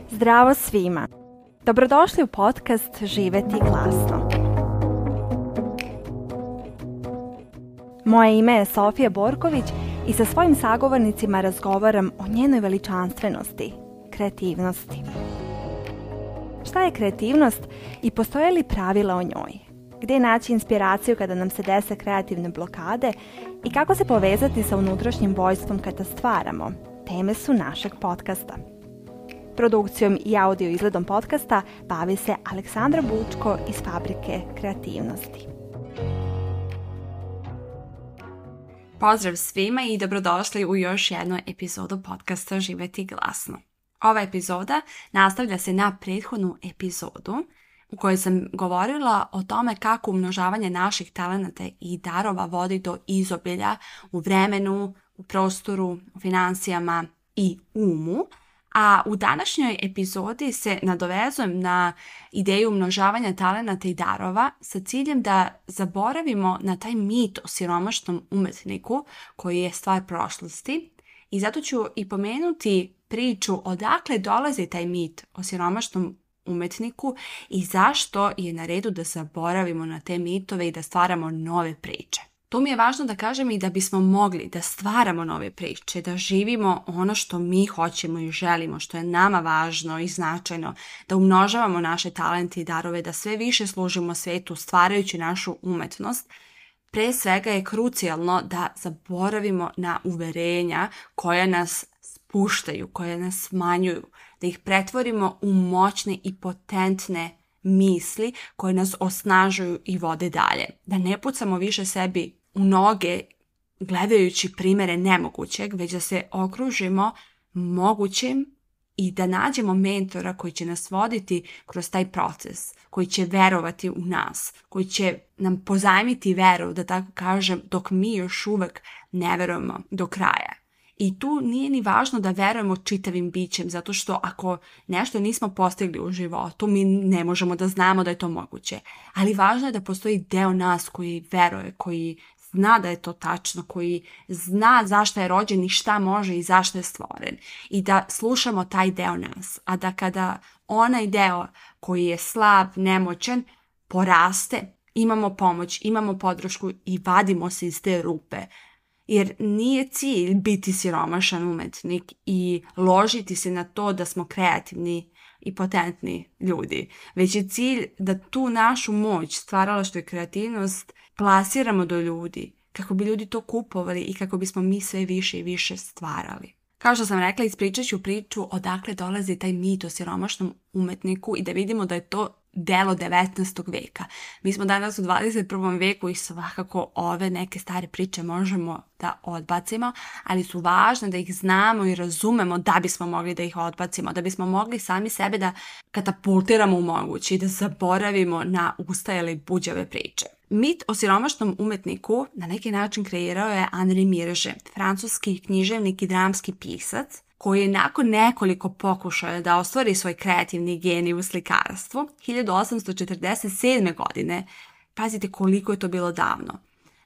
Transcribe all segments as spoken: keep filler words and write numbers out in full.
Zdravo svima! Dobrodošli u podcast Živeti glasno. Moje ime je Sofija Borković i sa svojim sagovornicima razgovaram o njenoj veličanstvenosti, kreativnosti. Šta je kreativnost i postoje li pravila o njoj? Gdje naći inspiraciju kada nam se dese kreativne blokade i kako se povezati sa unutrašnjim vojstvom kada stvaramo? Teme su našeg podcasta. Produkcijom i audio izgledom podcasta bavi se Aleksandra Bučko iz Fabrike kreativnosti. Pozdrav svima i dobrodošli u još jednu epizodu podcasta Živeti glasno. Ova epizoda nastavlja se na prethodnu epizodu u kojoj sam govorila o tome kako umnožavanje naših talenata i darova vodi do izobilja u vremenu, u prostoru, u financijama i umu. A u današnjoj epizodi se nadovezujem na ideju umnožavanja talenata i darova sa ciljem da zaboravimo na taj mit o siromašnom umetniku koji je stvar prošlosti. I zato ću i pomenuti priču odakle dolazi taj mit o siromašnom umetniku i zašto je na redu da zaboravimo na te mitove i da stvaramo nove priče. Tu mi je važno da kažem i da bismo mogli da stvaramo nove priče, da živimo ono što mi hoćemo i želimo, što je nama važno i značajno, da umnožavamo naše talente i darove, da sve više služimo svetu stvarajući našu umetnost. Pre svega je krucijalno da zaboravimo na uverenja koja nas spuštaju, koja nas smanjuju, da ih pretvorimo u moćne i potentne misli koje nas osnažuju i vode dalje. Da ne pucamo više sebi u noge gledajući primere nemogućeg, već da se okružimo mogućim i da nađemo mentora koji će nas voditi kroz taj proces, koji će verovati u nas, koji će nam pozajmiti veru, da tako kažem, dok mi još uvek ne verujemo do kraja. I tu nije ni važno da verujemo čitavim bićem, zato što ako nešto nismo postigli u životu, mi ne možemo da znamo da je to moguće. Ali važno je da postoji deo nas koji veruje, koji zna da je to tačno, koji zna zašto je rođen i šta može i zašto je stvoren. I da slušamo taj deo nas. A da kada onaj deo koji je slab, nemoćan, poraste, imamo pomoć, imamo podršku i vadimo se iz te rupe. Jer nije cilj biti siromašan umetnik i ložiti se na to da smo kreativni i potentni ljudi. Već je cilj da tu našu moć, stvaralaštvo i kreativnost plasiramo do ljudi, kako bi ljudi to kupovali i kako bismo mi sve više i više stvarali. Kao što sam rekla, ispričat ću priču odakle dolazi taj mit o siromašnom umetniku i da vidimo da je to delo devetnaestog veka. Mi smo danas u dvadeset prvom veku i svakako ove neke stare priče možemo da odbacimo, ali su važne da ih znamo i razumemo da bismo mogli da ih odbacimo, da bismo mogli sami sebe da katapultiramo u moguće i da zaboravimo na ustajale buđave priče. Mit o siromašnom umetniku na neki način kreirao je Henri Mirge, francuski književnik i dramski pisac, koji je nakon nekoliko pokušaja da ostvari svoj kreativni genij u slikarstvu, hiljadu osamsto četrdeset sedme. godine, pazite koliko je to bilo davno,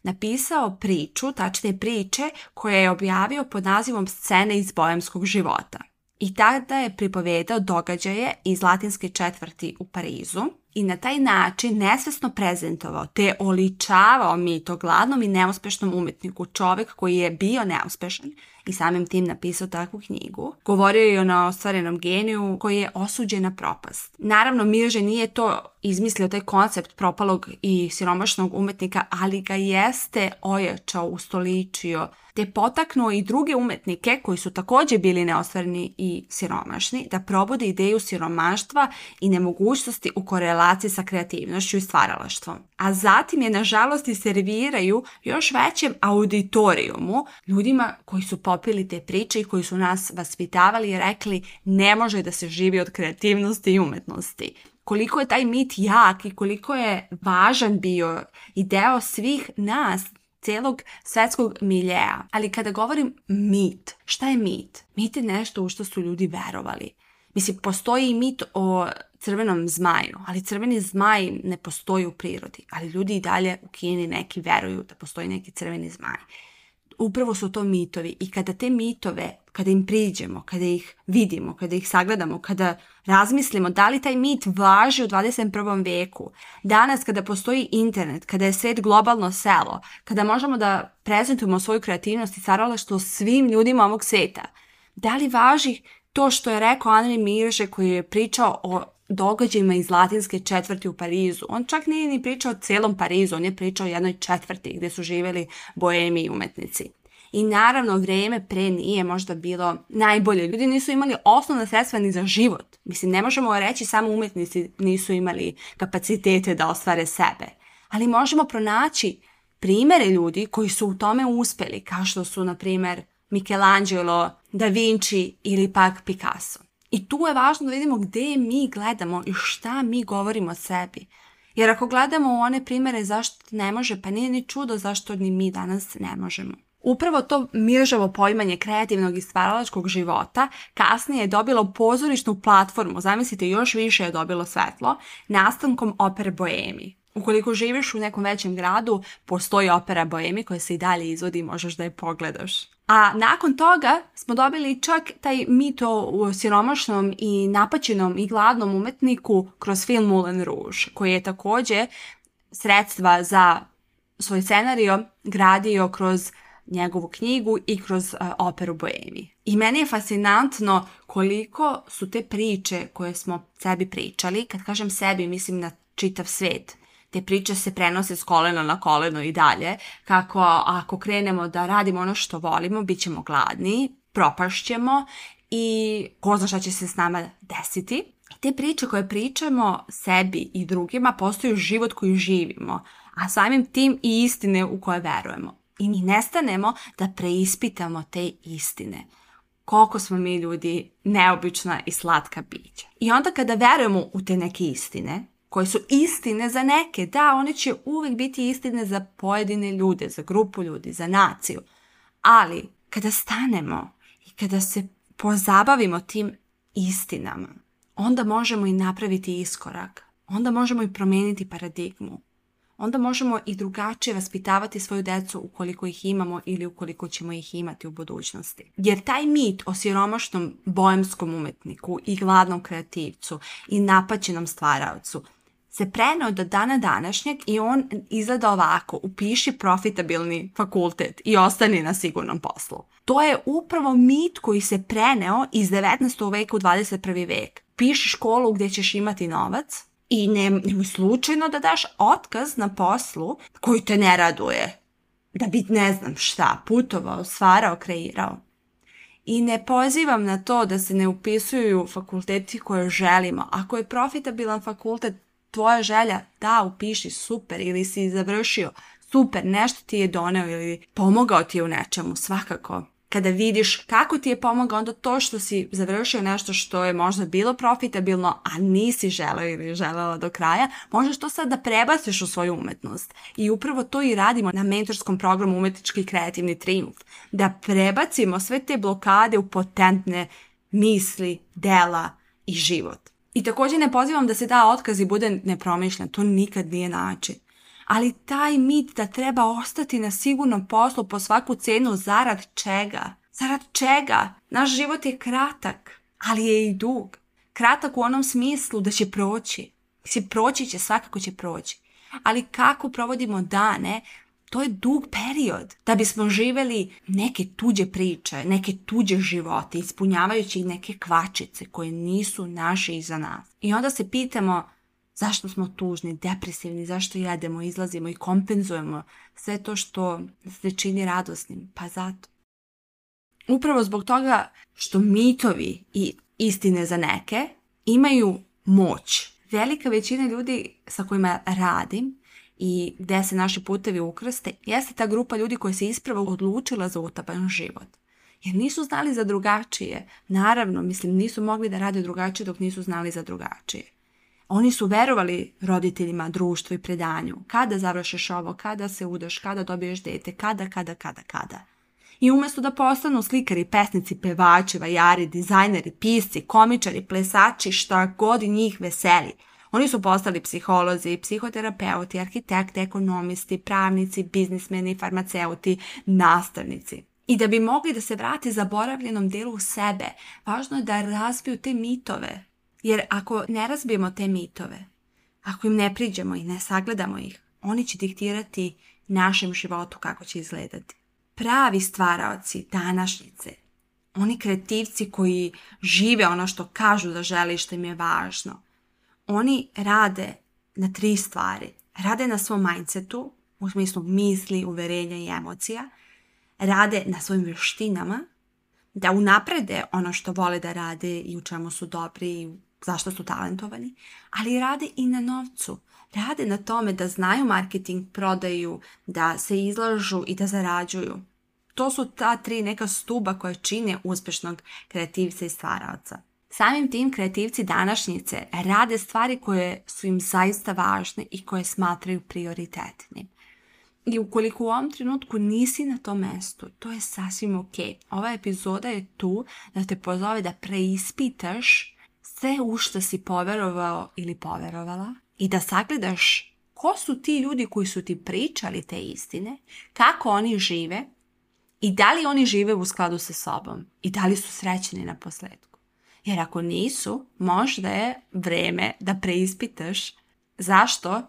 napisao priču, tačnije priče, koje je objavio pod nazivom Scene iz bojemskog života. I tada je pripovedao događaje iz latinske četvrti u Parizu i na taj način nesvesno prezentovao te oličavao mit o gladnom i neuspešnom umetniku, čovek koji je bio neuspešan i samim tim napisao takvu knjigu. Govorio je o neostvarenom geniju koji je osuđen na propast. Naravno, Mirge nije to izmislio, taj koncept propalog i siromašnog umetnika, ali ga jeste ojačao, ustoličio, te potaknuo i druge umetnike koji su također bili neostvareni i siromašni da probode ideju siromaštva i nemogućnosti u korelaciji sa kreativnošću i stvaralaštvom. A zatim je nažalost i serviraju još većem auditorijumu, ljudima koji su popili te priče i koji su nas vaspitavali i rekli ne može da se živi od kreativnosti i umetnosti. Koliko je taj mit jak i koliko je važan bio i deo svih nas, celog svetskog miljeja. Ali kada govorim mit, šta je mit? Mit je nešto u što su ljudi verovali. Mislim, postoji i mit o crvenom zmaju, ali crveni zmaj ne postoji u prirodi. Ali ljudi i dalje u Kini neki veruju da postoji neki crveni zmaj. upravo su to mitovi. I kada te mitove, kada im priđemo, kada ih vidimo, kada ih sagledamo, kada razmislimo da li taj mit važi u dvadeset prvom veku, danas kada postoji internet, kada je svet globalno selo, kada možemo da prezentujemo svoju kreativnost i stvaralaštvo svim ljudima ovog sveta, da li važi to što je rekao Henri Mirže koji je pričao o događajima iz latinske četvrti u Parizu? On čak nije ni pričao o celom Parizu, on je pričao o jednoj četvrti gdje su živjeli boemi i umetnici. I naravno vrijeme pre nije možda bilo najbolje. Ljudi nisu imali osnovna sredstva ni za život. Mislim, ne možemo reći samo umetnici nisu imali kapacitete da ostvare sebe. Ali možemo pronaći primjere ljudi koji su u tome uspjeli, kao što su, na primjer, Michelangelo, Da Vinci ili pak Picasso. I tu je važno da vidimo gdje mi gledamo i šta mi govorimo o sebi. Jer ako gledamo u one primjere zašto ne može, pa nije ni čudo zašto ni mi danas ne možemo. Upravo to Mirževo poimanje kreativnog i stvaralačkog života kasnije je dobilo pozorišnu platformu, zamislite, još više je dobilo svetlo, nastankom opere Boemi. Ukoliko živiš u nekom većem gradu, postoji opera Boemi koja se i dalje izvodi i možeš da je pogledaš. A nakon toga smo dobili čak taj mit o siromašnom i napaćenom i gladnom umetniku kroz film Moulin Rouge, koji je također sredstva za svoj scenario gradio kroz njegovu knjigu i kroz uh, operu Boemi. I meni je fascinantno koliko su te priče koje smo sebi pričali, kad kažem sebi mislim na čitav svet, te priče se prenose s kolena na koleno i dalje, kako ako krenemo da radimo ono što volimo, bit ćemo gladni, propašćemo i ko zna šta će se s nama desiti. Te priče koje pričamo sebi i drugima postaju život koji živimo, a samim tim i istine u koje verujemo. I mi nestanemo da preispitamo te istine. Koliko smo mi ljudi neobična i slatka bića. I onda kada verujemo u te neke istine, koje su istine za neke, da, one će uvijek biti istine za pojedine ljude, za grupu ljudi, za naciju. Ali kada stanemo i kada se pozabavimo tim istinama, onda možemo i napraviti iskorak. Onda možemo i promijeniti paradigmu. Onda možemo i drugačije vaspitavati svoju djecu ukoliko ih imamo ili ukoliko ćemo ih imati u budućnosti. Jer taj mit o siromašnom boemskom umetniku i gladnom kreativcu i napaćenom stvaraocu se preneo do dana današnjeg i on izgleda ovako: upiši profitabilni fakultet i ostani na sigurnom poslu. To je upravo mit koji se preneo iz devetnaestog veka u dvadeset prvi vek. Piši školu gdje ćeš imati novac i ne, nemoj slučajno da daš otkaz na poslu koji te ne raduje. Da bi ne znam šta, putovao, stvarao, kreirao. I ne pozivam na to da se ne upisuju fakulteti koje želimo. Ako je profitabilan fakultet tvoja želja, da, upiši, super, ili si završio, super, nešto ti je doneo ili pomogao ti je u nečemu, svakako. Kada vidiš kako ti je pomogao, onda to što si završio nešto što je možda bilo profitabilno, a nisi želeo ili želela do kraja, možeš to sad da prebaciš u svoju umetnost. I upravo to i radimo na mentorskom programu Umetnički i kreativni trijumf. Da prebacimo sve te blokade u potentne misli, dela i život. I također ne pozivam da se da otkaz i bude nepromišljen, to nikad nije način. Ali taj mit da treba ostati na sigurnom poslu po svaku cenu, zarad čega? Zarad čega? Naš život je kratak, ali je i dug. Kratak u onom smislu da će proći. Mislim, proći će, svakako će proći. Ali kako provodimo dane, to je dug period. Da bismo živjeli neke tuđe priče, neke tuđe živote, ispunjavajući neke kvačice koje nisu naše iza nas. I onda se pitamo zašto smo tužni, depresivni, zašto jedemo, izlazimo i kompenzujemo sve to što se čini radosnim. Pa zato. Upravo zbog toga što mitovi i istine za neke imaju moć. Velika većina ljudi sa kojima radim i gdje se naši putevi ukrste, jeste ta grupa ljudi koja se ispravo odlučila za utaban život. Jer nisu znali za drugačije. Naravno, mislim, nisu mogli da rade drugačije dok nisu znali za drugačije. Oni su verovali roditeljima, društvu i predanju. Kada završiš ovo, kada se udaš, kada dobiješ dete, kada, kada, kada, kada. I umjesto da postanu slikari, pesnici, pevači, vajari, dizajneri, pisci, komičari, plesači, šta god i njih veseli, Oni su postali psiholozi, psihoterapeuti, arhitekti, ekonomisti, pravnici, biznismeni, farmaceuti, nastavnici. I da bi mogli da se vrati zaboravljenom delu sebe, važno je da razbiju te mitove. Jer ako ne razbijemo te mitove, ako im ne priđemo i ne sagledamo ih, oni će diktirati našem životu kako će izgledati. Pravi stvaraoci današnjice, oni kreativci koji žive ono što kažu da žele i što im je važno, oni rade na tri stvari. Rade na svom mindsetu, u smislu misli, uverenja i emocija. Rade na svojim vještinama, da unaprede ono što vole da rade i u čemu su dobri i zašto su talentovani, ali rade i na novcu. Rade na tome da znaju marketing, prodaju, da se izlažu i da zarađuju. To su ta tri neka stuba koje čine uspješnog kreativca i stvaraoca. Samim tim kreativci današnjice rade stvari koje su im zaista važne i koje smatraju prioritetnim. I ukoliko u ovom trenutku nisi na tom mestu, to je sasvim ok. Ova epizoda je tu da te pozove da preispitaš sve u što si poverovao ili poverovala i da sagledaš ko su ti ljudi koji su ti pričali te istine, kako oni žive i da li oni žive u skladu sa sobom i da li su srećni na posledku. Jer ako nisu, možda je vreme da preispitaš zašto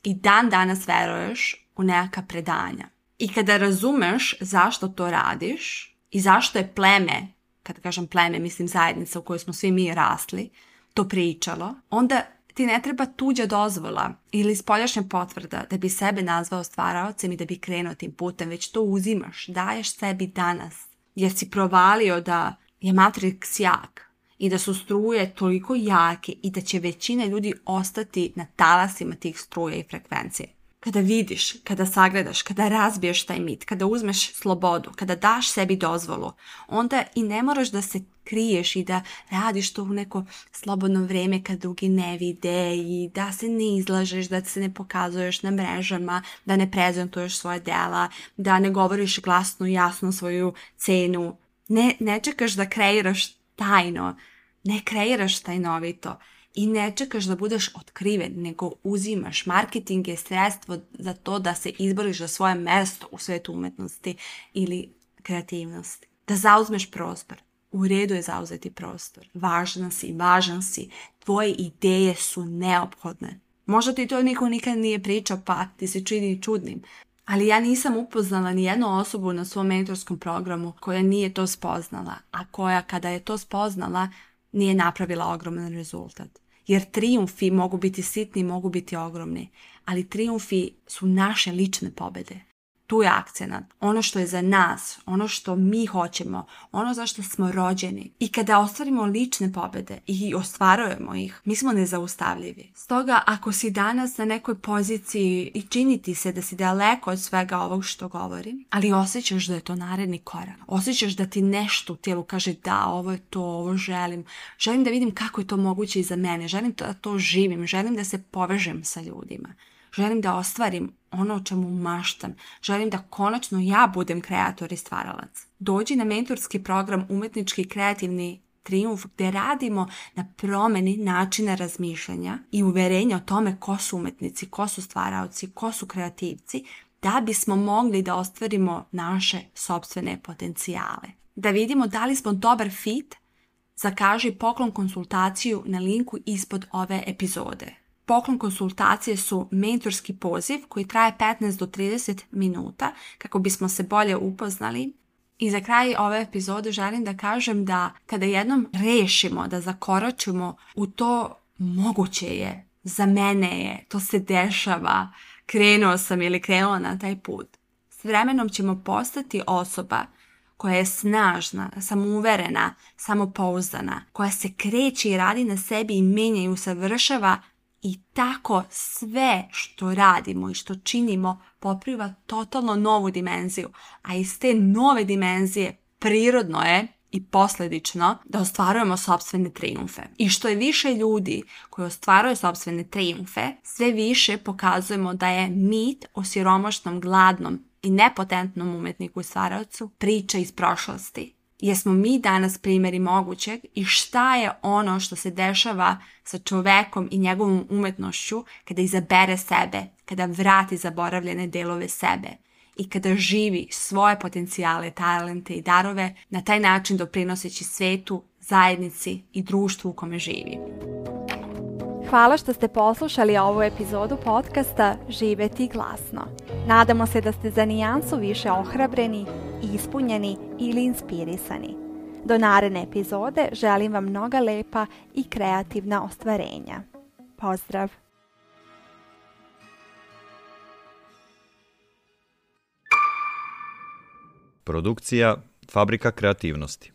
i dan danas veruješ u neka predanja. I kada razumeš zašto to radiš i zašto je pleme, kada kažem pleme, mislim zajednica u kojoj smo svi mi rasli, to pričalo, onda ti ne treba tuđa dozvola ili spoljašnja potvrda da bi sebe nazvao stvaraocem i da bi krenuo tim putem, već to uzimaš, daješ sebi danas, jer si provalio da je Matrix jak i da su struje toliko jake i da će većina ljudi ostati na talasima tih struja i frekvencije. Kada vidiš, kada sagledaš, kada razbiješ taj mit, kada uzmeš slobodu, kada daš sebi dozvolu, onda i ne moraš da se kriješ i da radiš to u neko slobodno vrijeme kad drugi ne vide i da se ne izlažeš, da se ne pokazuješ na mrežama, da ne prezentuješ svoje dela, da ne govoriš glasno i jasno svoju cenu. Ne, ne čekaš da kreiraš tajno, ne kreiraš tajnovito. I ne čekaš da budeš otkriven, nego uzimaš. Marketing je sredstvo za to da se izboriš za svoje mesto u svetu umetnosti ili kreativnosti. Da zauzmeš prostor. U redu je zauzeti prostor. Važan si, važan si. Tvoje ideje su neophodne. Možda ti to niko nikad nije pričao, pa ti se čini čudnim. Ali ja nisam upoznala ni jednu osobu na svom mentorskom programu koja nije to spoznala, a koja kada je to spoznala nije napravila ogroman rezultat. Jer trijumfi mogu biti sitni, mogu biti ogromni, ali trijumfi su naše lične pobjede. Tu je akcenat, ono što je za nas, ono što mi hoćemo, ono za što smo rođeni. I kada ostvarimo lične pobjede i ostvarujemo ih, mi smo nezaustavljivi. Stoga, ako si danas na nekoj poziciji i čini ti se da si daleko od svega ovog što govorim, ali osjećaš da je to naredni korak, osjećaš da ti nešto u tijelu kaže da, ovo je to, ovo želim, želim da vidim kako je to moguće i za mene, želim da to živim, želim da se povežem sa ljudima. Želim da ostvarim ono o čemu maštam. Želim da konačno ja budem kreator i stvaralac. Dođi na mentorski program Umetnički i kreativni trijumf gdje radimo na promjeni načina razmišljanja i uverenja o tome ko su umetnici, ko su stvaraoci, ko su kreativci, da bismo mogli da ostvarimo naše sopstvene potencijale. Da vidimo da li smo dobar fit, zakaži poklon konsultaciju na linku ispod ove epizode. Poklon konsultacije su mentorski poziv koji traje petnaest do trideset minuta kako bismo se bolje upoznali. I za kraj ove epizode želim da kažem da kada jednom rešimo da zakoračimo u to moguće je, za mene je, to se dešava, krenuo sam ili krenula na taj put. S vremenom ćemo postati osoba koja je snažna, samouverena, samopouzdana, koja se kreće i radi na sebi i menja i usavršava. I tako sve što radimo i što činimo popriva totalno novu dimenziju. A iz te nove dimenzije prirodno je i posljedično da ostvarujemo sopstvene trijumfe. I što je više ljudi koji ostvaruju sopstvene trijumfe, sve više pokazujemo da je mit o siromašnom, gladnom i nepotentnom umetniku i stvaraocu priča iz prošlosti. jesmo mi danas primjeri mogućeg i šta je ono što se dešava sa čovekom i njegovom umetnošću kada izabere sebe, kada vrati zaboravljene delove sebe i kada živi svoje potencijale, talente i darove, na taj način doprinoseći svetu, zajednici i društvu u kome živi. Hvala što ste poslušali ovu epizodu podcasta Živeti glasno. Nadamo se da ste za nijansu više ohrabreni, ispunjeni ili inspirisani. Do naredne epizode želim vam mnoga lepa i kreativna ostvarenja. Pozdrav! Produkcija Fabrika kreativnosti.